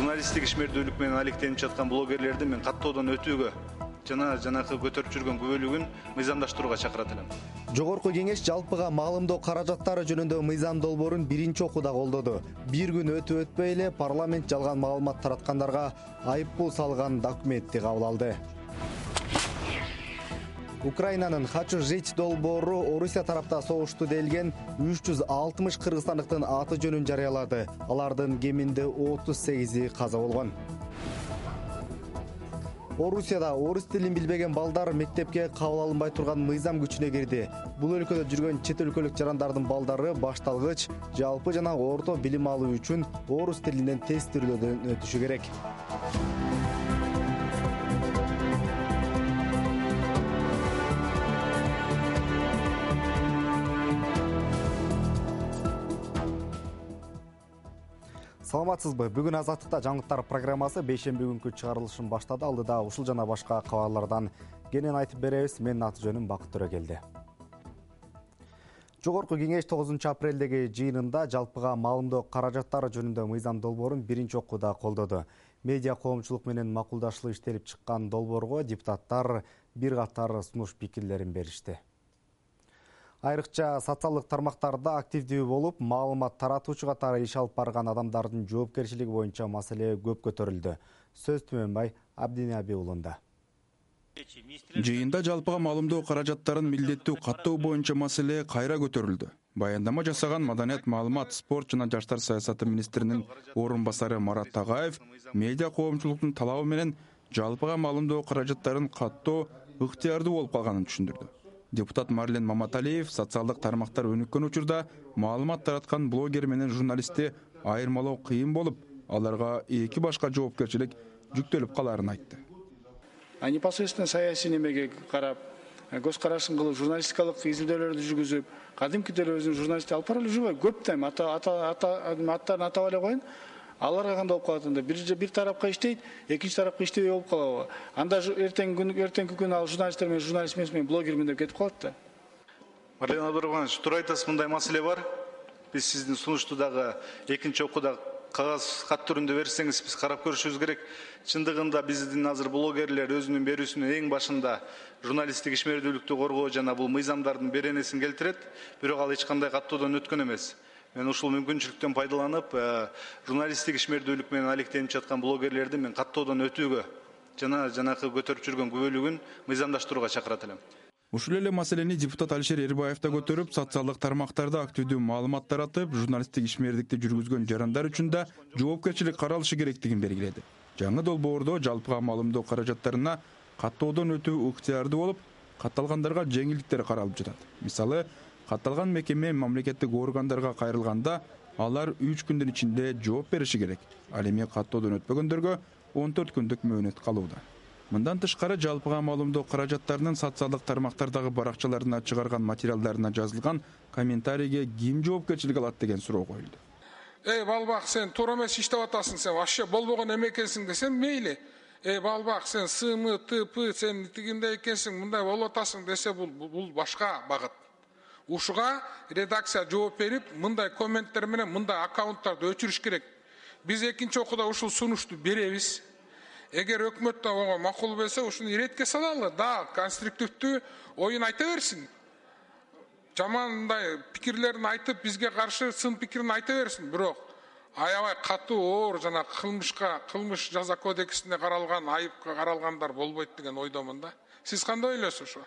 журналисттик ишмердүүлүк менен алектенип жаткан блогерлерди мен каттоодон өтүүгө жана жанакы көтөрүп жүргөн күбөлүгүн мыйзамдаштырууга чакырат элем. Жогорку кеңеш жалпыга маалымдоо каражаттары жөнүндө мыйзам долбоорун биринчи окууда колдоду. Бир күн өтүп өтпөй эле парламент жалган маалымат тараткандарга айыппул салган документти кабыл алды. Украинанын «Хочу жить» долбоору Орусия тарапта согушту делген 360 кыргызстандыктын аты жөнүн жарыялады. Алардын кеминде 38 каза болгон. Орусияда орус тилин билбеген балдар мектепке кабыл алынбай турган мыйзам күчүнө кирди. Бул өлкөдө жүргөн чет өлкөлүк жарандардын балдары башталгыч, жалпы жана орто билим алуу үчүн орус тилинен тест түрдөрдөн өтүшү керек. Саламатсызбы? Бүгүн Азаттыкта жаңылыктар программасы бейшемби күнкү чыгарылышын баштады. Алдыда ушул жана башка кабарлардан кенен айтып беребиз. Менин аты жөнүм Бакыт Төрөгелди. Жогорку кеңеш 9 апрелдеги жыйынында жалпыга маалымдоо каражаттары жөнүндө мыйзам долбоорун биринчи окууда колдоду. Медиа коомчулук менен макулдашылып иштелип чыккан долбоорго депутаттар бир катар сунуш пикирлерин беришти. Айрыкча социалдык тармактарда активдүү болуп, маалымат таратуучу катары иш алып барган адамдардын жоопкерчилиги боюнча маселе көп көтөрүлдү. Сөз Түмөнбай Абдинаби уулунда. Жыйында жалпыга маалымдоо каражаттарын милдеттүү каттоо боюнча маселе кайра көтөрүлдү. Баяндама жасаган Маданият, маалымат, спорт жана жаштар саясаты министринин орун басары Марат Тагаев медиа коомчулуктун талабы менен жалпыга маалымдоо каражаттарын каттоо ыктыярдуу болуп калганын түшүндүрдү. Депутат Марлен Маматалиев социалдык тармактар өнүккөн учурда маалымат тараткан блогер менен журналистти айырмалоо кыйын болуп, аларга эки башка жоопкерчилик жүктөлүп калаарын айтты. Непосредственно саясий немеге карап, көз карашын кылып, журналистикалык изилдөөлөрдү жүргүзүп, кадимки өзүнүн журналисти алып бара эле жүрбөй, көп тайм аттарын атап эле коюн. Аларга кандай болуп калат анда? Бир тарапка иштейт, экинчи тарапка иштебей болуп калабы? Анда эртеңки күнү ал журналисттер менен журналист эмес, блогермин деп кетип калат да. Марлен Абдурахманович, туура айтасыз, мындай маселе бар. Биз сиздин сунушту дагы экинчи окууда кагаз кат түрүндө берсеңиз, биз карап көрүшүбүз керек. Чындыгында биздин азыр блогерлер өзүнүн берүүсүнүн эң башында журналисттик ишмердүүлүктү коргоо жана бул мыйзамдардын беренесин келтирет, бирок ал эч кандай каттоодон өткөн эмес. Мен ушул мүмкүнчүлүктөн пайдаланып, журналисттик ишмердүүлүк менен алектенип жаткан блогерлерди мен каттоодон өтүүгө жана жанакы көтөрүп жүргөн күбөлүгүн мыйзамдаштырууга чакырат элем. Ушул эле маселени депутат Алишер Эрбаев да көтөрүп, социалдык тармактарда активдүү маалымат таратып, журналисттик ишмердикти жүргүзгөн жарандар үчүн да жоопкерчилик каралышы керектигин белгиледи. Жаңы долбоордо жалпыга маалымдоо каражаттарына каттоодон өтүү ыктыярдуу болуп, катталгандарга жеңилдиктер каралып жатат. Мисалы, катталган мекеме мамлекеттик органдарга кайрылганда алар 3 күндүн ичинде жооп бериши керек. Ал эми каттоодон өтпөгөндөргө 14 күндүк мөөнөт калууда. Мындан тышкары жалпыга маалымдоо каражаттарынын социалдык тармактардагы баракчаларына чыгарган материалдарына жазылган комментарийге ким жоопкерчилик алат деген суроо коюлду. Балбак, сен туура эмес иштеп атасың, сен вообще болбогон эме экенсиң десем мейли. Балбак, сен СМ, ТП, сен тигиндей экенсиң, мындай болуп атасың десе бул башка багыт. Ушуга редакция жооп берип, мындай комменттер менен мындай аккаунттарды өчүрүш керек. Биз экинчи окууда ушул сунушту беребиз. Эгер өкмөттөн ого макул болсо, ушуну иретке салалы, да конструктивдүү оюн айта берсин. Жамандай пикирлерин айтып, бизге каршы сын пикирин айта берсин, бирок аябай катуу оор жана кылмыш жаза кодексинде каралган, айыпка каралгандар болбойт деген ойдомун да. Сиз кандай ойлойсуз ушу?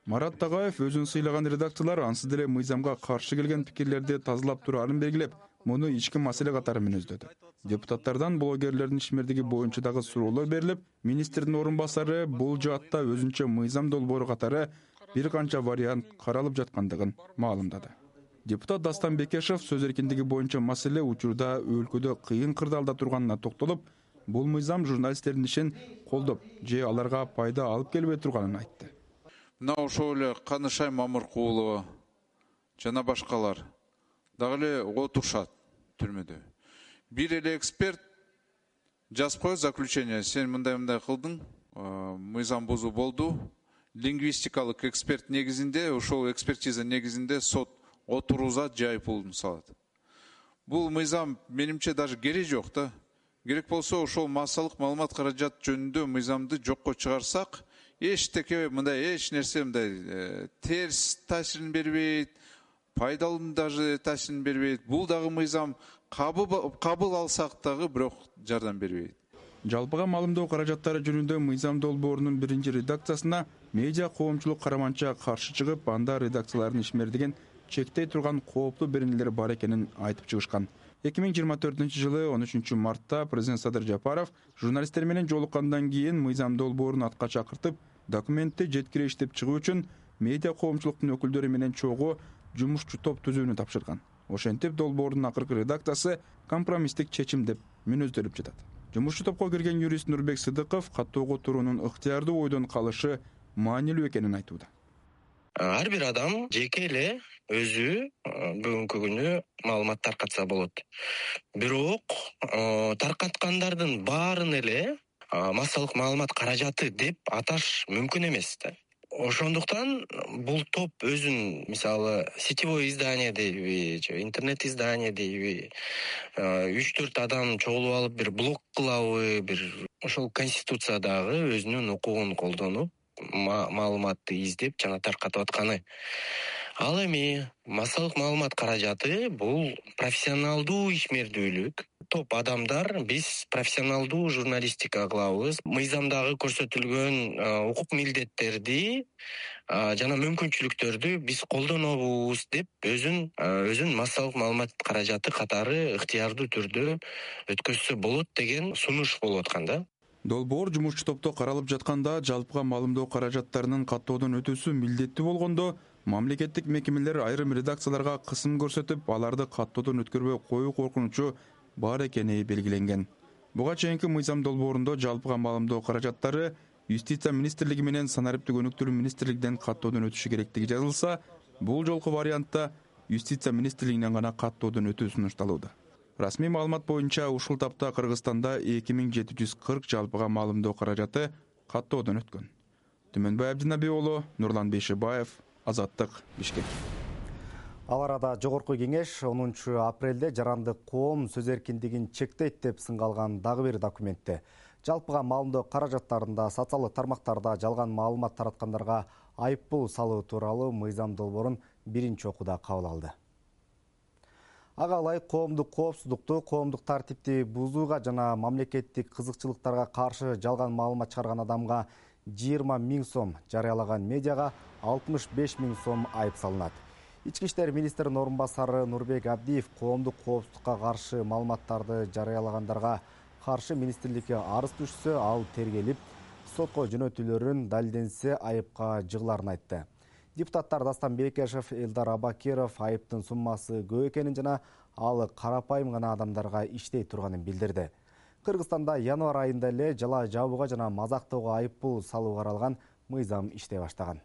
Марат Тагаев өзүн сыйлаган редакциялар ансыз деле мыйзамга каршы келген пикирлерди тазалап тураарын белгилеп, муну ички маселе катары мүнөздөдү. Депутаттардан блогерлердин ишмердиги боюнча дагы суроолор берилип, министрдин орун басары бул жаатта өзүнчө мыйзам долбоору катары бир канча вариант каралып жаткандыгын маалымдады. Депутат Дастан Бекешев сөз эркиндиги боюнча маселе учурда өлкөдө кыйын кырдаалда турганына токтолуп, бул мыйзам журналисттердин ишин колдоп же аларга пайда алып келбей турганын айтты. Мына ошол эле Канышай Мамыркулова жана башкалар дагы эле отурушат түрмөдө. Бир эле эксперт жазып коет заключение, сен мындай кылдың, мыйзам бузуу болду. Лингвистикалык эксперт негизинде, ошол экспертиза негизинде сот отурузат же айыппулун салат. Бул мыйзам менимче даже кереги жок да. керек болсо ошол массалык маалымат каражат жөнүндө мыйзамды жокко чыгарсак, эчтеке мындай эч нерсе мындай терс таасирин бербейт, пайдалуу даже таасирин бербейт. Бул дагы мыйзам кабыл алсак дагы бирок жардам бербейт. Жалпыга маалымдоо каражаттары жөнүндө мыйзам долбоорунун 1-редакциясына медиа коомчулук караманча каршы чыгып, анда редакциялардын ишмердигин чектей турган кооптуу беренелер бар экенин айтып чыгышкан. 2024-жылы 13-мартта президент Садыр Жапаров журналисттер менен жолуккандан кийин мыйзам долбоорун атка чакыртып, документти жеткире иштеп чыгуу үчүн медиа коомчулуктун өкүлдөрү менен чогуу жумушчу топ түзүүнү тапшырган. Ошентип долбоордун акыркы редакциясы компромисстик чечим деп мүнөздөлүп жатат. Жумушчу топко кирген юрист Нурбек Сыдыков каттоого туруунун ыктыярдуу ойдон калышы маанилүү экенин айтууда. Ар бир адам жеке эле өзү бүгүнкү күнү маалымат таркатса болот. Бирок таркаткандардын баарын эле массалык маалымат каражаты деп аташ мүмкүн эмес да. Ошондуктан бул топ өзүн, мисалы, сетевой издание дейби, же интернет издание дейби, 3-4 адам чогулуп алып бир блог кылабы, бир ошол конституциядагы өзүнүн укугун колдонуп маалыматты издеп жана таркатып атканы. Ал эми массалык маалымат каражаты бул профессионалдуу ишмердүүлүк. Топ адамдар биз профессионалдуу журналистика кылабыз. Мыйзамдагы көрсөтүлгөн укук милдеттерди жана мүмкүнчүлүктөрдү биз колдонобуз деп өзүн массалык маалымат каражаты катары ыктыярдуу түрдө өткөзсө болот деген сунуш болуп аткан да. Долбоор жумушчу топто каралып жатканда жалпыга маалымдоо каражаттарынын каттоодон өтүүсү милдеттүү болгондо, мамлекеттик мекемелер айрым редакцияларга кысым көрсөтүп, аларды каттоодон өткөрбөй коюу коркунучу бар экени белгиленген. Буга чейинки мыйзам долбоорунда жалпыга маалымдоо каражаттары Юстиция министрлиги менен санариптик өнүктүрүү министрлигинен каттоодон өтүшү керектиги жазылса, бул жолку вариантта Юстиция министрлигинен гана каттоодон өтүү сунушталууда. Расмий маалымат боюнча ушул тапта Кыргызстанда 2740 жалпыга маалымдоо каражаты каттоодон өткөн. Түмөнбай Абдинаби уулу, Нурлан Бейшебаев, Азаттык, Бишкек. Ал арада жогорку кеңеш 10 апрелде жарандык коом сөз эркиндигин чектейт деп сынгалган дагы бир документте жалпыга маалымдоо каражаттарында социалдык тармактарда жалган маалымат тараткандарга айыппул салуу тууралуу мыйзам долбоорун биринчи окууда кабыл алды. Ага ылайык коомдук коопсуздукту, коомдук тартипти бузууга жана мамлекеттик кызыкчылыктарга каршы жалган маалымат чыгарган адамга 20 000 сом, жарыялаган медиага 65 000 сом айып салынат. Ички иштер министринин орун басары Нурбек Абдиев коомдук коопсуздукка каршы маалыматтарды жарыялагандарга каршы министрликке арыз түшсө, ал тергелип, сотко жөнөтүлөрүн далилденсе айыпка жыгыларын айтты. Депутаттар Дастан Бекешев, Элдар Абакиров айыптын суммасы көп экенин жана ал карапайым гана адамдарга иштей турганын билдирди. Кыргызстанда январь айында эле жала жабууга жана мазактоого айыппул салуу каралган мыйзам иштей баштаган.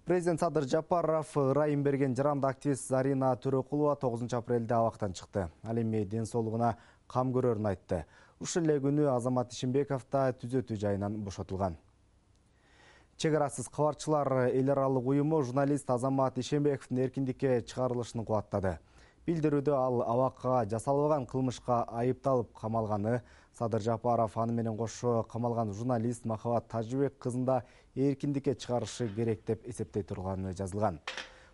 Президент Садыр Жапаров ырайым берген жаранды активист Зарина Төрөкулова 9 апрелде абактан чыкты. Ал эми ден соолугуна кам көрөрүн айтты. Ушул эле күнү Азамат Ишимбеков да түзөтүү жайынан бошотулган. Чек арасыз кабарчылар эл аралык уюму журналист Азамат Ишимбековдун эркиндикке чыгарылышын кубаттады. Билдирүүдө ал абакка жасалбаган кылмышка айыпталып камалганы, Садыр Жапаров аны менен кошо камалган журналист Махабат Тажыбек кызын да эркиндикке чыгарышы керек деп эсептей турганы жазылган.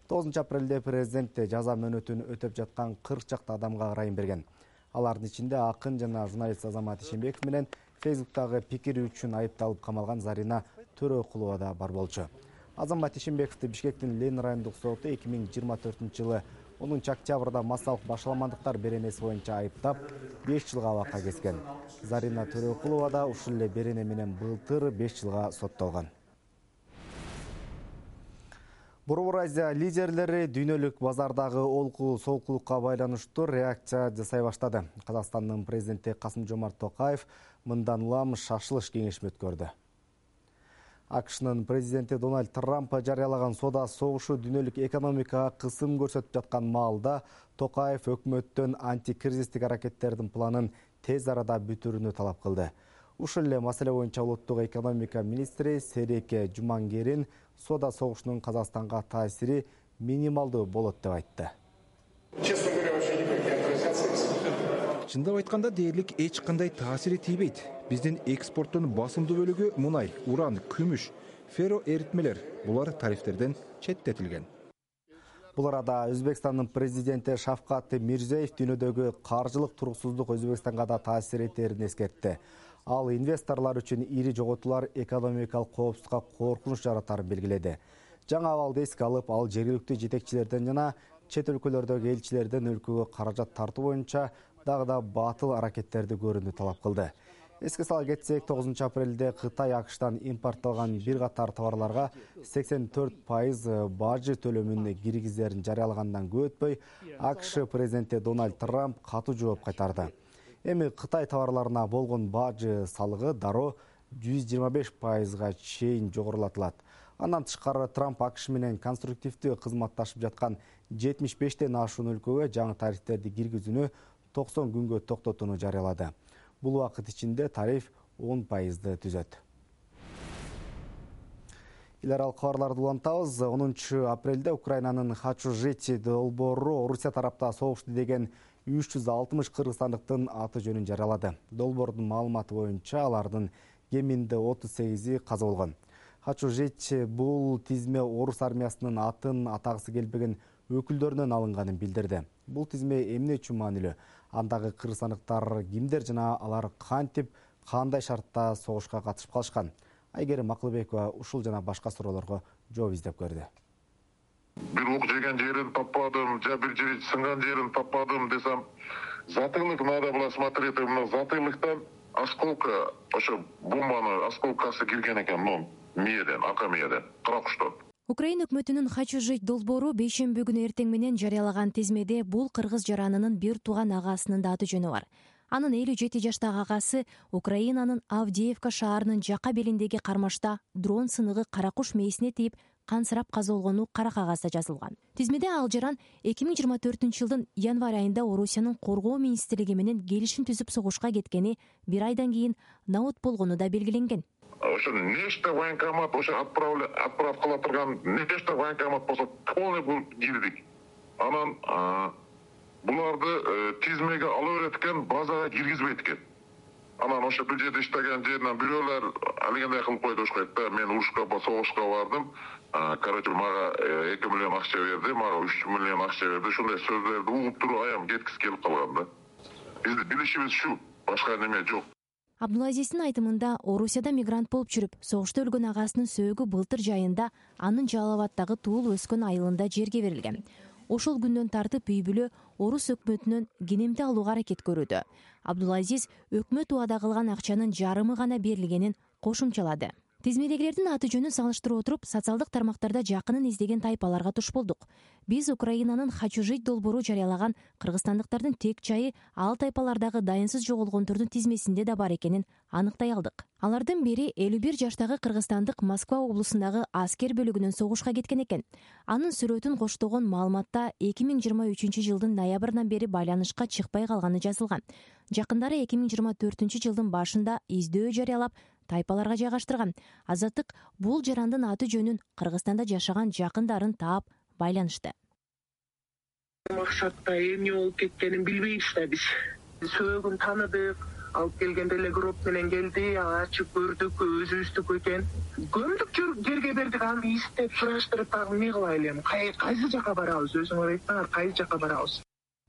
9 апрелде президент жаза мөөнөтүн өтөп жаткан 40 чакты адамга ырайым берген. Алардын ичинде акын жана журналист Азамат Ишимбеков менен Фейсбуктагы пикири үчүн айыпталып камалган Зарина Төрөкулова да бар болчу. Азамат Ишимбековду Бишкектин Ленин райондук соту 2024-жылы 10 октябрда массалык башаламандыктар беренеси боюнча айыптап 5 жылга абакка кескен. Зарина Төрөкулова да ушул эле берене менен былтыр 5 жылга соттолгон. Борбор Азия лидерлери дүйнөлүк базардагы олку солкулукка байланыштуу реакция жасай баштады. Казакстандын президенти Касым-Жомарт Токаев мындан улам шашылыш кеңешме өткөрдү. АКШнын президенти Дональд Трамп жарыялаган соода согушу дүйнөлүк экономикага кысым көрсөтүп жаткан маалда Токаев өкмөттөн антикризистик аракеттердин планын тез арада бүтүрүүнү талап кылды. Ушул эле маселе боюнча улуттук экономика министри Сереке Жумангерин соода согушунун Казакстанга таасири минималдуу болот деп айтты. Чындап айтканда дээрлик эч кандай таасири тийбейт. Биздин экспорттун басымдуу бөлүгү мунай, уран, күмүш, ферро эритмелер. Булар тарифтерден четтетилген. Бул арада Өзбекстандын президенти Шавкат Мирзиёев дүйнөдөгү каржылык туруксуздук Өзбекстанга да таасир этерин эскертти. Ал инвесторлор үчүн ири жоготуулар экономикалык коопсуздукка коркунуч жаратарын белгиледи. Жаңы абалды эске алып, ал жергиликтүү жетекчилерден жана чет өлкөлөрдөгү элчилерден өлкөгө каражат тартуу боюнча дагы да батыл аракеттерди көрүүнү талап кылды. Эске сала кетсек, 9 апрелде Кытай АКШтан импортталган бир катар товарларга 84% бажы төлөмүн киргизерин жарыялагандан көп өтпөй, АКШ президенти Дональд Трамп катуу жооп кайтарды. Эми Кытай товарларына болгон бажы салыгы дароо 125%га чейин жогорулатылат. Андан тышкары Трамп АКШ менен конструктивдүү кызматташып жаткан 75тен ашуун өлкөгө жаңы тарифтерди киргизүүнү 90 күнгө токтотууну жарыялады. Бул убакыт ичинде тариф 10%ды түзөт. Эл аралык кабарларды улантабыз. 10 апрелде Украинанын Хачу-Жити долбоору Орусия тарапта согушту деген 360 кыргызстандыктын аты жөнүн жарыялады. Долбоордун маалыматы боюнча алардын кеминде 38и каза болгон. Хачу-Жити бул тизме орус армиясынын атын атагысы келбеген өкүлдөрүнөн алынганын билдирди. Бул тизме эмне үчүн маанилүү? Андагы кыргызстандыктар кимдер жана алар кантип, кандай шартта согушка катышып калышкан? Айгерим Акылбекова ушул жана башка суроолорго жооп издеп көрдү. Бир оқ жеген жерин таппадым, бир жери сынган жерин таппадым десем, затылык надо было смотреть, затылыктан осколка, ошо бомбаны осколкасы кирген экен, мээден, арка мээден, каракуштан. Украина өкмөтүнүн Хачу-Жить долбоору бейшемби күнү эртең менен жарыялаган тизмеде бул кыргыз жаранынын бир тууган агасынын да аты жөнү бар. Анын 57 жаштагы агасы Украинанын Авдеевка шаарынын жака белиндеги кармашта дрон сыныгы каракуш мээсине тийип кансырап каза болгону кара кагазда жазылган. Тизмеде ал жаран 2024-жылдын январь айында Орусиянын коргоо министрлиги менен келишим түзүп согушка кеткени бир айдан кийин наут болгону да белгиленген. Ошо нечто военкомат ошо отправкала турган нечто военкомат болсо полный бул кирдик. Анан буларды тизмеге ала берет экен, базага киргизбейт экен. Анан ошо бир жерде иштеген жеринен бирөөлөр алгандай кылып койду ошкойт да. Мен урушка, согушка бардым. Короче, мага 2 миллион акча берди, мага 3 миллион акча берди. Ушундай сөздөрдү угуп туруп аям кеткиси келип калган да. Биздин билишибиз ушу, башка неме жок. Абдулазиздин айтымында Орусияда мигрант болуп жүрүп, согушта өлгөн агасынын сөөгү былтыр жайында анын Жалал абаддагы туулуп өскөн айылында жерге берилген. Ошол күндөн тартып үй бүлө орус өкмөтүнөн кенемти алууга аракет көрүүдө. Абдулазиз өкмөт убада кылган акчанын жарымы гана берилгенин кошумчалады. Тизмедегилердин аты жөнүн салыштырып отуруп, социалдык тармактарда жакынын издеген тайпаларга туш болдук. Биз Украинанын Хачу-Жить долбоору жарыялаган кыргызстандыктардын тек чайы ал тайпалардагы дайынсыз жоголгондордун тизмесинде да бар экенин аныктай алдык. Алардын бири 51 жаштагы кыргызстандык Москва облусундагы аскер бөлүгүнөн согушка кеткен экен. Анын сүрөтүн коштогон маалыматта 2023-жылдын ноябрынан бери байланышка чыкпай калганы жазылган. Жакындары 2024-жылдын башында издөө жарыялап, тайпаларга жайгаштырган. Азаттык бул жарандын аты жөнүн Кыргызстанда жашаган жакындарын таап байланышты. Максатта эмне болуп кеткенин билбейбиз да биз. Сөөгүн таныдык, алып келгенде эле гроб менен келди, ачып көрдүк, өзүбүздүкү экен. Көмдүк жерге бердик, аны издеп сураштырып дагы эмне кылайлы эми? Кайсы жака барабыз? Өзүңөр айтсаңар, кайсы жака барабыз?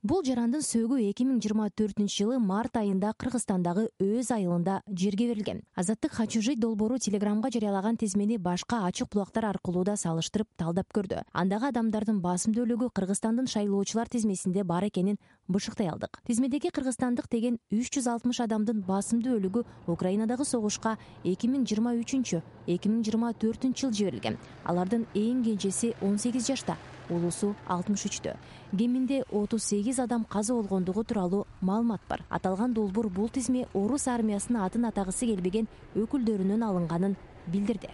Бул жарандын сөөгү 2024-жылы март айында Кыргызстандагы өз айылында жерге берилген. Азаттык Хачу-Жить долбоору Телеграмга жарыялаган тизмени башка ачык булактар аркылуу да салыштырып талдап көрдү. Андагы адамдардын басымдуу бөлүгү Кыргызстандын шайлоочулар тизмесинде бар экенин бышыктай алдык. Тизмедеги кыргызстандык деген 360 адамдын басымдуу бөлүгү Украинадагы согушка 2023-2024 жыл жиберилген. Алардын эң кенжеси 18 жашта, улусу 63тө. Кеминде 38 адам каза болгондугу тууралуу маалымат бар. Аталган долбоор бул тизме орус армиясынын атын атагысы келбеген өкүлдөрүнөн алынганын билдирди.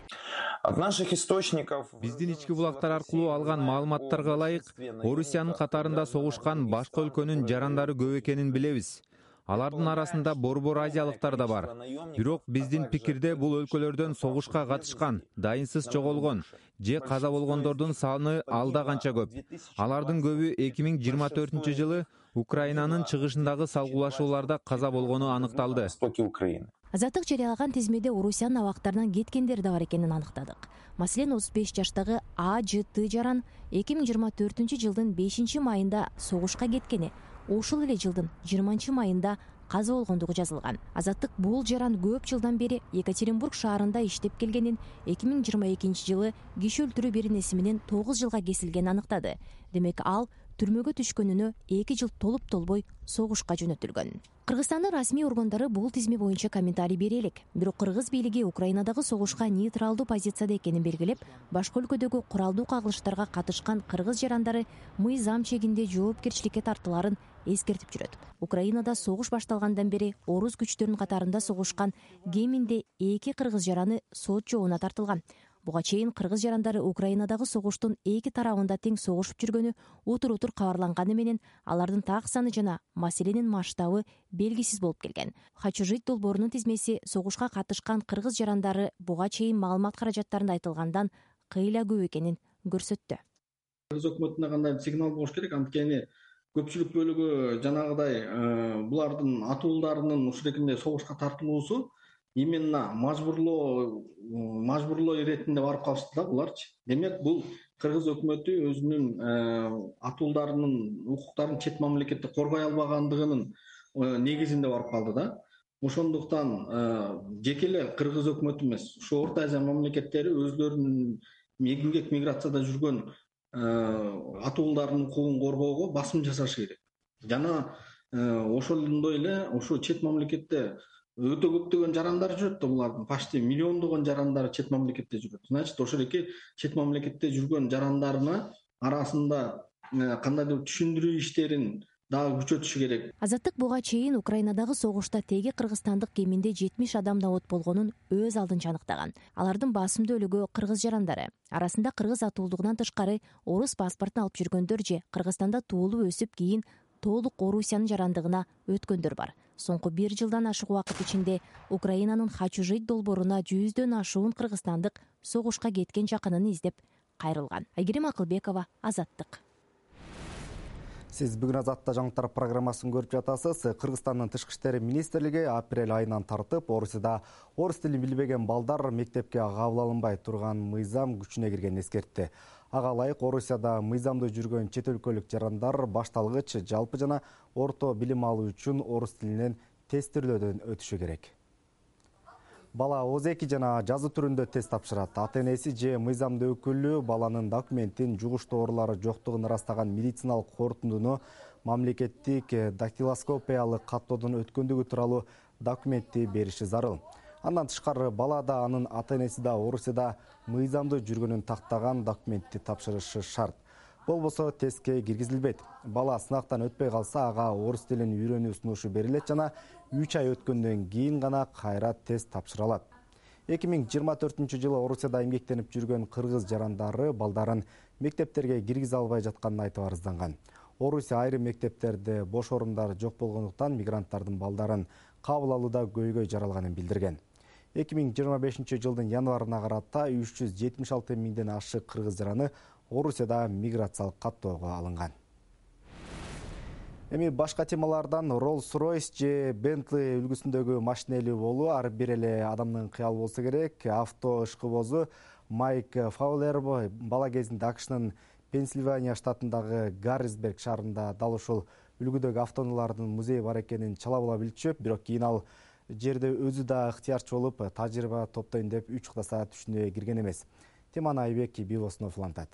Биздин ички булактар аркылуу алган маалыматтарга ылайык, Орусиянын катарында согушкан башка өлкөнүн жарандары көп экенин билебиз. Алардын арасында борбор азиялыктар да бар. Бирок биздин пикирде бул өлкөлөрдөн согушка катышкан, дайынсыз жоголгон же каза болгондордун саны алда канча көп. Алардын көбү 2024 жылы Украинанын чыгышындагы салгылашууларда каза болгону аныкталды. Азаттык жарыялаган тизмеде Орусиянын абактарынан кеткендер да бар экенин аныктадык. Маселен 35 жаштагы АЖТ жаран 2024 жылдын 5 майында согушка кеткени, ошол эле жылдын 20 майында каза болгондугу жазылган. Азаттык бул жаран көп жылдан бери Екатеринбург шаарында иштеп келгенин, 2022 жылы киши өлтүрүү беренеси менен 9 жылга кесилгенин аныктады. Демек ал түрмөгө түшкөнүнө 2 жыл толуп толбой согушка жөнөтүлгөн. Кыргызстандын расмий органдары бул тизме боюнча комментарий бере элек. Бирок кыргыз бийлиги Украинадагы согушка нейтралдуу позицияда экенин белгилеп, башка өлкөдөгү куралдуу кагылыштарга катышкан кыргыз жарандары мыйзам чегинде жоопкерчиликке тартыларын эскертип жүрөт. Украинада согуш башталгандан бери орус күчтөрүнүн катарында согушкан кеминде 2 кыргыз жараны сот жообуна тартылган. Буга чейин кыргыз жарандары Украинадагы согуштун 2 тарабында тең согушуп жүргөнү утур-утур кабарланганы менен алардын так саны жана маселенин масштабы белгисиз болуп келген. Хочу жить долбоорунун тизмеси согушка катышкан кыргыз жарандары буга чейин маалымат каражаттарында айтылгандан кыйла көп экенин көрсөттү. Кыргыз өкмөтүнө кандай сигнал болуш керек? Анткени көпчүлүк бөлүгү жанагыдай булардын атууларынын ушул экинде согушка тартылуусу именно мажбурлоо иретинде барып калышты да буларчы. Демек бул кыргыз өкмөтү өзүнүн атууларынын укуктарын чет мамлекетте коргой албагандыгынын негизинде барып калды да. Ошондуктан жеке эле кыргыз өкмөтү эмес, ушу Орто Азия мамлекеттери өзлөрүнүн эмгек миграцияда жүргөн атууларынын укугун коргоого басым жасашы керек. Жана ошондой эле ушу чет мамлекетте өтө көптөгөн жарандар жүрөт да, булардын почти миллиондогон жарандары чет мамлекетте жүрөт. Значит, ошол эки чет мамлекетте жүргөн жарандарына арасында кандайдыр түшүндүрүү иштерин дагы күчөтүшү керек. Азаттык буга чейин Украинадагы согушта теги кыргызстандык кеминде 70 адам абот болгонун өз алдынча аныктаган. Алардын басымдуу бөлүгү кыргыз жарандары. Арасында кыргыз атуулдугунан тышкары орус паспортун алып жүргөндөр же Кыргызстанда туулуп өсүп кийин толук Орусиянын жарандыгына өткөндөр бар. Соңку 1 жылдан ашык убакыт ичинде Украинанын Хочу жить долбооруна 100дөн ашуун кыргызстандык согушка кеткен жакынын издеп кайрылган. Айгерим Акылбекова, Азаттык. Сиз бүгүн Азатта жаңылыктар программасын көрүп жатасыз. Кыргызстандын тышкы иштер министрлиги апрель айынан тартып Орусияда орус тилин билбеген балдар мектепке кабыл алынбай турган мыйзам күчүнө киргенин эскертти. Ага ылайык Орусияда мыйзамдуу жүргөн чет өлкөлүк жарандар башталгыч, жалпы жана орто билим алуу үчүн орус тилинен тестирлөөдөн өтүшү керек. Бала озеки жана жазуу түрүндө тест тапшырат. Ата-энеси же мыйзамдуу өкүлү баланын документин жугуш тоорулары жоктугун ырастаган медициналык корутундуну мамлекеттик дактилоскопиялык каттоодон өткөндүгү тууралуу документти бериши зарыл. Андан тышкары бала да анын ата-энеси да Орусияда мыйзамдуу жүргөнүн тактаган документти тапшырышы шарт. Болбосо тестке киргизилбейт. Бала сынактан өтпөй калса, ага орус тилин үйрөнүү сунушу берилет жана 3 ай өткөндөн кийин гана кайра тест тапшыра алат. 2024 Орусияда эмгектенип жүргөн кыргыз жарандары балдарын мектептерге киргизе албай жатканын айтып арызданган. Орусия айрым мектептерде бош орундар жок болгондуктан мигранттардын балдарын кабыл алууда көйгөй жаралганын билдирген. 2025 жылдын январына карата 376 миңден ашык кыргыз жараны Орусияда миграциялык каттоого алынган. Эми башка темалардан Rolls-Royce же Bentley үлгүсүндөгү машина ээлүү болуу ар бир эле адамдын кыялы болсо керек. Авто ышкыбозу Майк Фаулер бала кезинде АКШнын Пенсильвания штатындагы Гаррисберг шаарында дал ушул үлгүдөгү автоунаалардын музейи бар экенин чала була билчү, бирок кийин ал жерде өзү да ыктыярчы болуп, тажрыйба топтойн деп 3 уктаса түшүнүгө кирген эмес. Теманы Айбек Бибоснов улантат.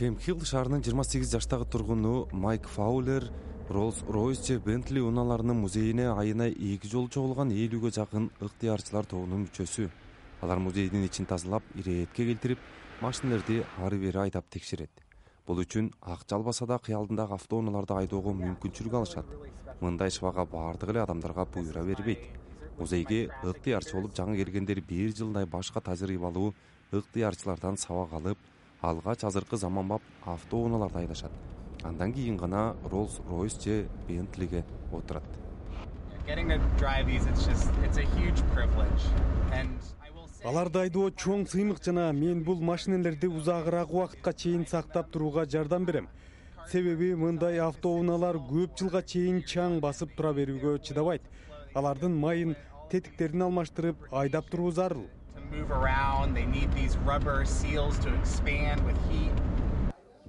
Кемп-Хилл шаарынын 28 жаштагы тургуну Майк Фаулер Rolls-Royce же Bentley унааларынын музейине айына 2 жолу чогулган 50ге жакын ыктыярчылар тобунун мүчөсү. Алар музейдин ичин тазалап, иретке келтирип, машиналерди ары-бери айдап текшерет. Бул үчүн акча албаса да кыялдындагы автоунааларды айдоого мүмкүнчүлүк алышат. Мындай ишбага баардык эле адамдарга буйра бербейт. Музейге ыктыярчы болуп жаңы келгендер 1 жылдай башка тажрыйбалуу ыктыярчылардан сабак алып, алгач азыркы заманбап автоунааларды айдашат. Андан кийин гана Rolls-Royce же Bentley'ге отурат. Аларды айдоо чоң сыймык жана мен бул машинелерди узагыраак убакытка чейин сактап турууга жардам берем. Себеби мындай автоунаалар көп жылга чейин чаң басып тура берүүгө чыдабайт. Алардын майын, тетиктерин алмаштырып айдап туруу зарыл.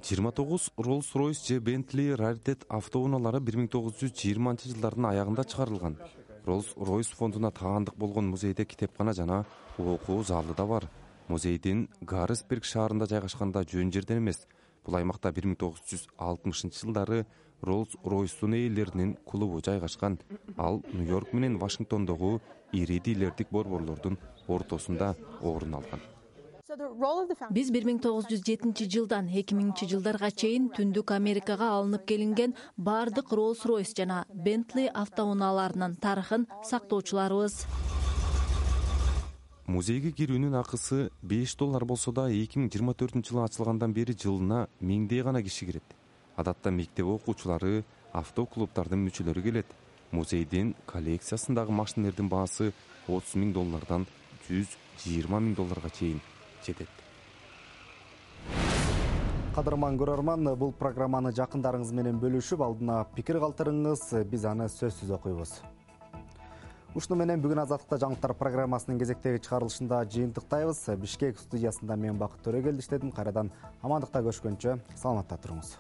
29 Rolls-Royce же Bentley раритет автоунаалары 1920-жылдардын аягында чыгарылган. Rolls-Royce фондуна таандык болгон музейде китепкана жана окуу залы да бар. Музейдин Гаррисберг шаарында жайгашканда жөн жерден эмес. Бул аймакта 1960-жылдары Rolls-Royce'ун ээлеринин клубу жайгашкан. Ал Нью-Йорк менен Вашингтондогу ири дилердик борборлордун ортосунда орун алган. Биз 1907-жылдан 2000-жылдарга чейин Түндүк Америкага алынып келинген бардык Rolls-Royce жана Bentley автоунааларынын тарыхын сактоочуларыбыз. Музейге кирүүнүн акысы $5 болсо да 2024-жылы ачылгандан бери жылына 1000 гана киши кирет. Адатта мектеп окуучулары, автоклубтардын мүчөлөрү келет. Музейдин коллекциясындагы машинелердин баасы $30,000 $120,000 чейин жетет. Кадырман көрөрман, бул программаны жакындарыңыз менен бөлүшүп, алдына пикир калтырыңыз, биз аны сөзсүз окуйбуз. Ушуну менен бүгүн Азаттыкта жаңылыктар программасынын кезектеги чыгарылышында жыйынтыктайбыз. Бишкек студиясында мен Бакыт Төрөгел иштедим. Кайрадан амандыкта көрүшкөнчө саламатта туруңуз.